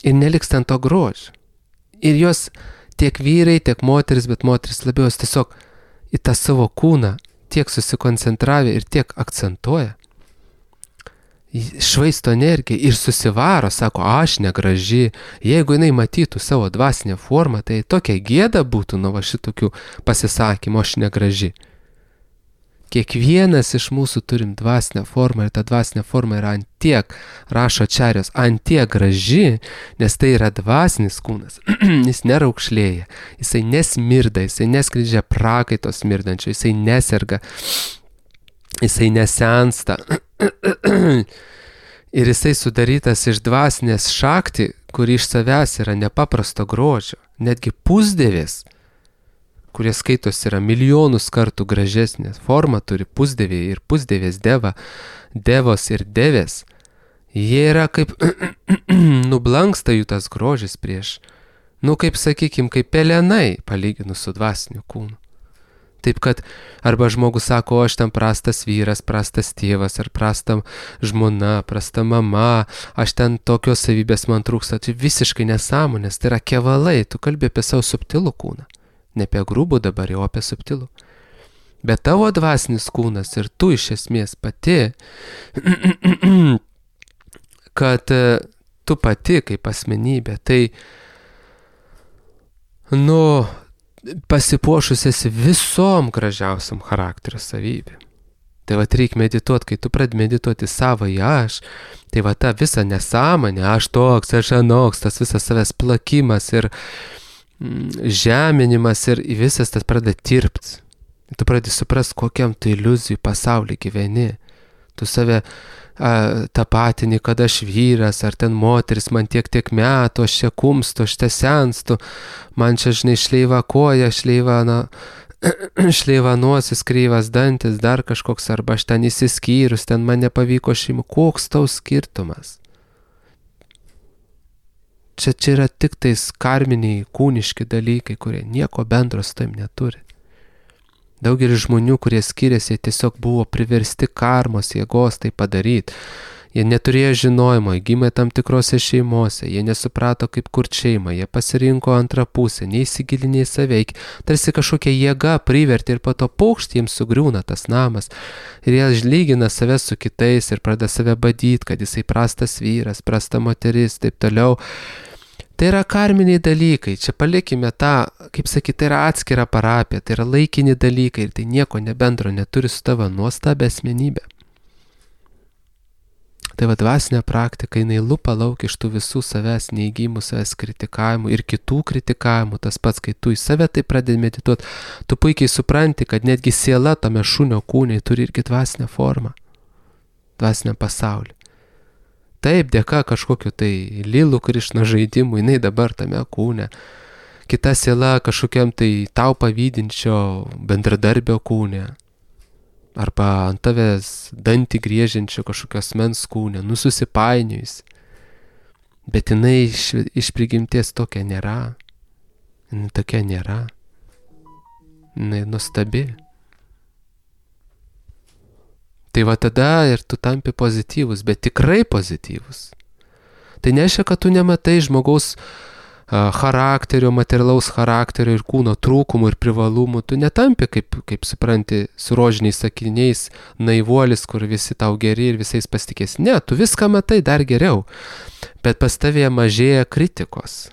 ir neliks ten to grožio. Ir jos tiek vyrai, tiek moteris, bet moteris labiau tiesiog į tą savo kūną tiek susikoncentravę ir tiek akcentuoja, švaisto energiją ir susivaro, sako, aš negraži. Jeigu jinai matytų savo dvasinę formą, tai tokia gėda būtų nuo va šitokių pasisakymų, aš negraži. Kiekvienas iš mūsų turim dvasinę formą ir ta dvasinė forma yra antiek, rašo Ačarijos, antiek graži, nes tai yra dvasinis kūnas. Jis neraukšlėja, jisai nesmirda, jisai neskleidžia prakaito smirdančio, jisai neserga, jisai nesensta. Ir jisai sudarytas iš dvasinės šakti, kuri iš savęs yra nepaprasto grožio. Netgi pusdėvės, kurie skaitos yra milijonus kartų gražesnės. Forma turi pusdėvė ir pusdėvės deva, devos ir devės. Jie yra kaip nublanksta jų tas grožis prieš, nu kaip sakykim, kaip pelenai palyginus su dvasiniu kūnu. Taip kad arba žmogus sako, aš ten prastas vyras, prastas tėvas, ar prasta žmona, prasta mama, aš ten tokios savybės man trūksta, tai visiškai nesąmonės, tai yra kevalai, tu kalbi apie savo subtilų kūną, ne apie grubų dabar, jau apie subtilų. Bet tavo dvasinis kūnas ir tu iš esmės pati, kad tu pati kaip asmenybė, tai, nu, pasipuošusias visom gražiausiam charakterio savybėm. Tai va reikia medituoti, kai tu pradedi medituoti savąjį aš, tai va ta visa nesąmonė, aš toks, aš anoks, tas visas savęs plakimas ir mm, žeminimas ir visas tas pradeda tirpti. Tu pradedi suprast, kokiam tu iliuzijų pasaulį gyveni. Tu save a, tapatini, kad aš vyras, ar ten moteris, man tiek tiek metų, aš čia kumstu, aš čia senstu, man čia, žinai, šleiva koja, šleiva, na, šleiva nosis, kreivas dantis, dar kažkoks, arba aš ten įsiskyrus, ten man nepavyko šeimų. Koks tau skirtumas? čia, čia yra tik tais karminiai, kūniški dalykai, kurie nieko bendro su tam neturi. Daugelis žmonių, kurie skiriasi, tiesiog buvo priversti karmos jėgos tai padaryti. Jie neturėjo žinojimo, jie gimė tam tikrose šeimose, jie nesuprato, kaip kurti šeimą, jie pasirinko antrą pusę, neįsigilinė į save, tarsi kažkokia jėga privertė ir po to paukšt jiems sugriūna tas namas. Ir jie lygina save su kitais ir pradeda save badyti, kad jisai prastas vyras, prasta moteris, taip toliau. Tai yra karminiai dalykai, čia palikime tą, kaip sakyti, tai yra atskira parapija, tai yra laikini dalykai ir tai nieko nebendro neturi su tavo nuostabia asmenybė. Tai va dvasinė praktika, jinai lupa lauk iš tų visų savęs neigimų, savęs kritikavimų ir kitų kritikavimų, tas pats, kai tu į save tai pradedi medituoti, tu puikiai supranti, kad netgi siela tame šunio kūne turi irgi dvasinę formą, dvasinę pasaulį. Taip, dėka kažkokiu tai Lilų Krišna žaidimų, jinai dabar tame kūne. Kita siela kažkokiam tai tau pavydinčio bendradarbio kūne. Arba ant tavęs dantį griežiančio kažkokios mens kūne, nususipainiojus. Bet jinai iš, iš prigimties tokia nėra. Jinai tokia nėra. Jinai nuostabi. Tai va tada ir tu tampi pozityvus, bet tikrai pozityvus. Tai nereiškia, kad tu nematai žmogaus uh, charakterio, materialaus charakterio ir kūno trūkumų ir privalumų. Tu netampi, kaip, kaip supranti, su rožiniais sakiniais, naivuolis, kur visi tau geri ir visais pasitikės. Ne, tu viską matai dar geriau, bet pas tavėje mažėja kritikos.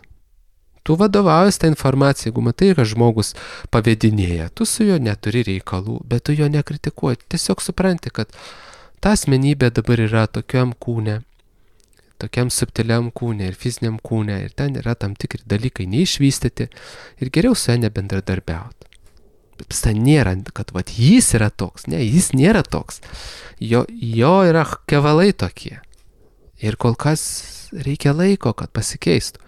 Tu vadovaujas tą informaciją, jeigu matai, kad žmogus pavedinėja, tu su juo neturi reikalų, bet tu jo nekritikuoji. Tiesiog supranti, kad ta asmenybė dabar yra tokiam kūne, tokiam subtiliam kūne ir fiziniam kūne, ir ten yra tam tikri dalykai neišvystyti ir geriau su juo nebendradarbiauti. Bet tai nėra, kad vat, jis yra toks, ne, jis nėra toks. Jo, jo yra kevalai tokie. Ir kol kas reikia laiko, kad pasikeistų.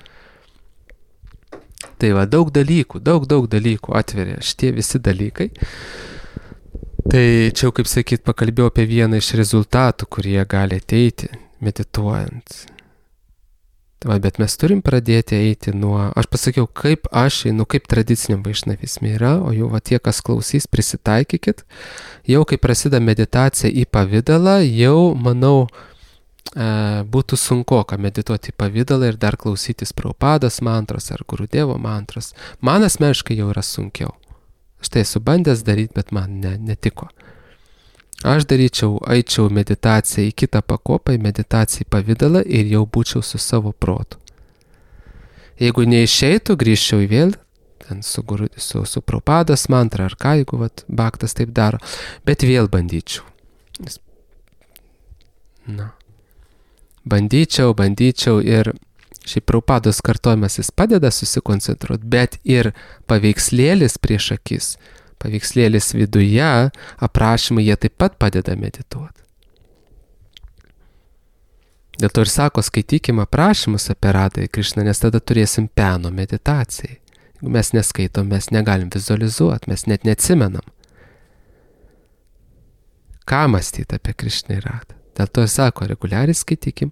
Tai va, daug dalykų, daug, daug dalykų atveria šitie visi dalykai. Tai čia, kaip sakyt, pakalbėjau apie vieną iš rezultatų, kurie gali ateiti medituojant. Tai va, bet mes turim pradėti eiti nuo, aš pasakiau, kaip aš einu, kaip tradiciniam vaišnavizme yra, o jau va tie, kas klausys, prisitaikykit. Jau kai prasideda meditacija į pavidalą, jau, manau, būtų sunkoka medituoti į pavydalą ir dar klausytis Prabhupados mantros ar Gurudevo mantros. Man asmeniškai jau yra sunkiau. Aš tai esu bandęs daryti, bet man ne, netiko. Aš daryčiau, eičiau meditaciją į kitą pakopą, į meditaciją į pavydalą ir jau būčiau su savo protu. Jeigu neišeitų, grįžčiau į vėl ten su, su, su Prabhupados mantra ar ką, jeigu vat, Bhaktas taip daro, bet vėl bandyčiau. Na. Bandyčiau, bandyčiau ir šiaip Prabhupados kartojimas jis padeda susikoncentruoti, bet ir paveikslėlis prieš akis, paveikslėlis viduje, aprašymai, jie taip pat padeda medituoti. Dėl to ir sako, skaitykim aprašymus apie Radhą Krišną, nes tada turėsim peno meditacijai. Jeigu mes neskaitom, mes negalim vizualizuoti, mes net neatsimenam. Ką mąstyti apie Krišną ir Radhą? Dėl to ir sako, reguliariai skaitykim,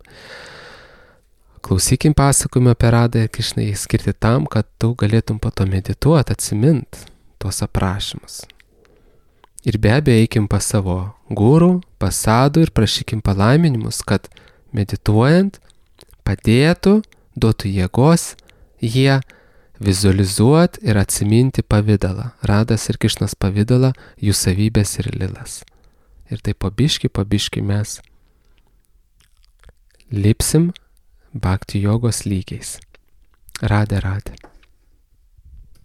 klausykim pasakojimą apie Radhą ir Krišną skirti tam, kad tu galėtum po to medituoti, atsimint tuos aprašymus. Ir be abejo, eikim pas savo guru, pas sadų ir prašykim palaiminimus, kad medituojant padėtų, duotų jėgos jie vizualizuoti ir atsiminti pavidalą, Radhas ir Krišnos pavidalą, jų savybės ir lilas. Ir tai pabiški, pabiški mes lipsim bhakti jogos lygiais. Radhe, Radhe.